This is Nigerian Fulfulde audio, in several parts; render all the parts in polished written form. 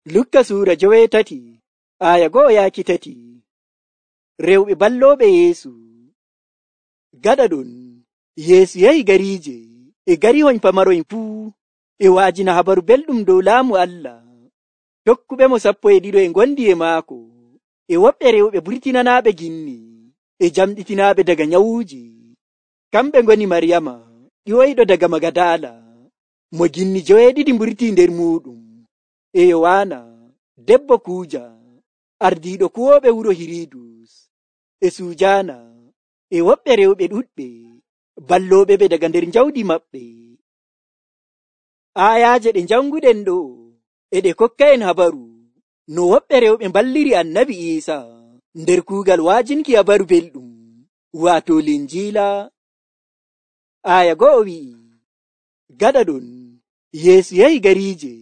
Lukka suura 8 aya 1-3. Rewɓe ballooɓe Yeesu. Gaɗa ɗon, Yeesu yahi gariije e garihoñ pamaroñ fuu e waajina habaru belɗum dow laamu Allah. Tokkuɓemo 12 e ngondi e maako, e woɓɓe rewɓe burtinanaaɓe ginni e jamɗitinaaɓe daga nyawuuji. Kamɓe ngoni Maryama ƴiwoyɗo daga Magadala, mo ginni 7 mburtii nder muuɗum, e Yowaana debbo Kuuja, ardiiɗo kuwooɓe wuro Hiridus, e Sujaana, e woɓɓe rewɓe ɗuɗɓe ballooɓe ɓe daga nder jawdi maɓɓe. Aayaaje ɗe janguɗen ɗo e ɗe kokka'en habaru no woɓɓe rewɓe balliri Annabi Iisa nder kuugal waajinki habaru belɗum, waato Linjiila. Aya 1 wi'i, gaɗa ɗon, Yeesu yahi gariije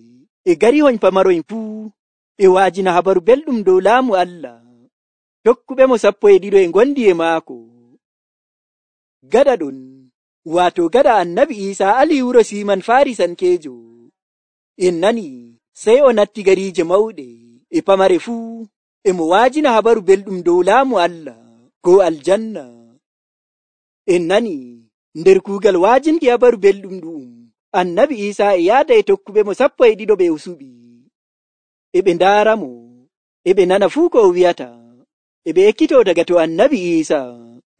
e garihoñ pamaroñ fuu e waajina habaru belɗum dow laamu Allah. Tokkuɓemo 12 e ngondi e maako. Gaɗa ɗon, waato gaɗa Annabi Iisa ali wuro Siiman Farisankeejo, en nani sey o natti gariije mawɗe e pamare fuu e mo waajina habaru belɗum dow laamu Allah ko aljanna. En nani nder kuugal waajinki habaru belɗum ɗum Annabi Iisa e yaada e tokkuɓemo 12 ɓe o suɓi. E ɓe ndaaramo, e ɓe nana fuu ko o wi'ata, e ɓe ekkitoo daga to Annabi Iisa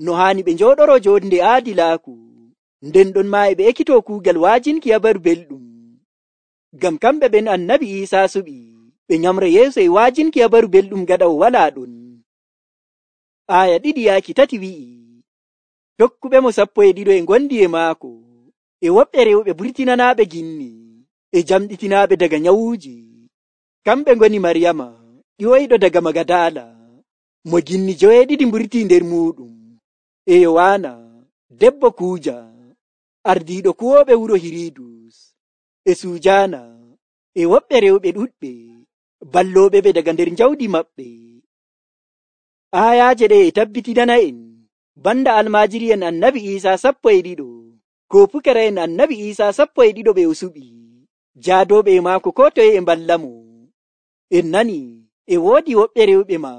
no haani ɓe njooɗoro joonde aadilaaku. Nden ɗon maa e ɓe ekkitoo kuugal waajinki habaru belɗum. Ngam kamɓe ɓen Annabi Iisa suɓi ɓe nyamra yeeso e waajinki habaru belɗum gaɗa o walaa ɗon. Aya 2-3 wi'i, tokkuɓemo 12 e ngondi e maako, e woɓɓe rewɓe burtinanaaɓe ginni e jamɗitinaaɓe daga nyawuuji. Kamɓe ngoni Maryama ƴiwoyɗo daga Magadala, mo ginni 7 mburtii nder muuɗum, e Yowaana debbo Kuuja, ardiiɗo kuwooɓe wuro Hiridus, e Sujaana, e woɓɓe rewɓe ɗuɗɓe ballooɓe ɓe daga nder jawdi maɓɓe. Aayaaje ɗe e tabbitinana'en banda almaajiri'en Annabi Iisa 12 ko pukara'en Annabi Iisa 12 ɓe o suɓi, jaadooɓe e maako ko toye e mballamo. En nani e woodi woɓɓe rewɓe ma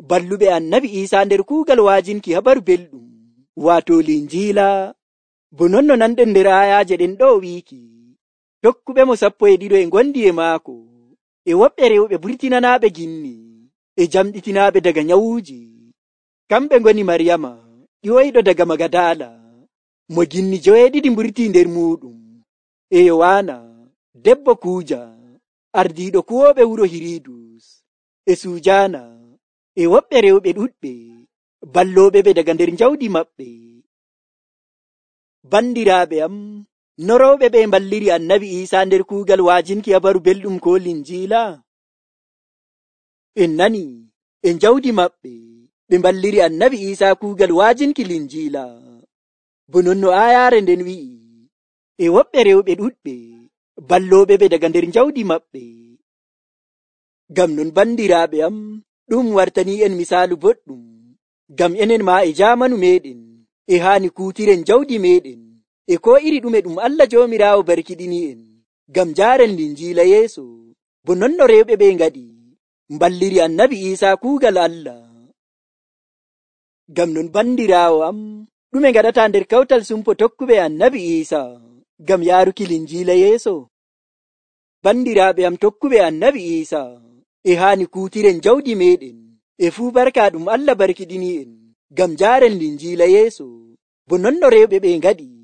balluɓe Annabi Iisa nder kuugal waajinki habaru belɗum, waato Linjiila. Bo non no nanɗen nder aayaaje ɗen ɗo wiiki, tokkuɓemo 12 e ngondi e maako, e woɓɓe rewɓe burtinanaaɓe ginni e jamɗitinaaɓe daga nyawuuji. Kamɓe ngoni Maryama ƴiwoyɗo daga Magadala, mo ginni 7 mburtii nder muuɗum, e Yowaana debbo Kuuja, ardiiɗo kuwooɓe wuro Hiridus, e Sujaana, e woɓɓe rewɓe ɗuɗɓe ballooɓe ɓe daga nder jawdi maɓɓe. Bandiraaɓe am, no rewɓe ɓe mballiri Annabi Iisa nder kuugal waajinki habaru belɗum ko Linjiila? En nani e jawdi maɓɓe ɓe mballiri Annabi Iisa kuugal waajinki Linjiila. Bo non no aayaare nden wi'i, e woɓɓe rewɓe ɗuɗɓe ballooɓe ɓe daga nder jawdi maɓɓe. Ngam non bandiraaɓe am, ɗum wartanii en misaalu boɗɗum, ngam enen maa e jaamanu meeɗen e haani kuutiren jawdi meeɗen e ko iri ɗume ɗum Allah Joomiraawo barkiɗini en ngam jaaren Linjiila yeeso. Bo non no rewɓe ɓe ngaɗi mballiri Annabi Iisa kuugal Allah. Ngam non bandiraawo am, ɗume ngaɗataa nder kawtal sumpo tokkuɓe Annabi Iisa ngam yaaruki Linjiila yeeso? Bandiraaɓe am tokkuɓe Annabi Iisa, e haani kuutiren jawdi meeɗen e fuu barka ɗum Allah barkiɗini en ngam jaaren Linjiila yeeso. Bo non no rewɓe ɓe ngaɗi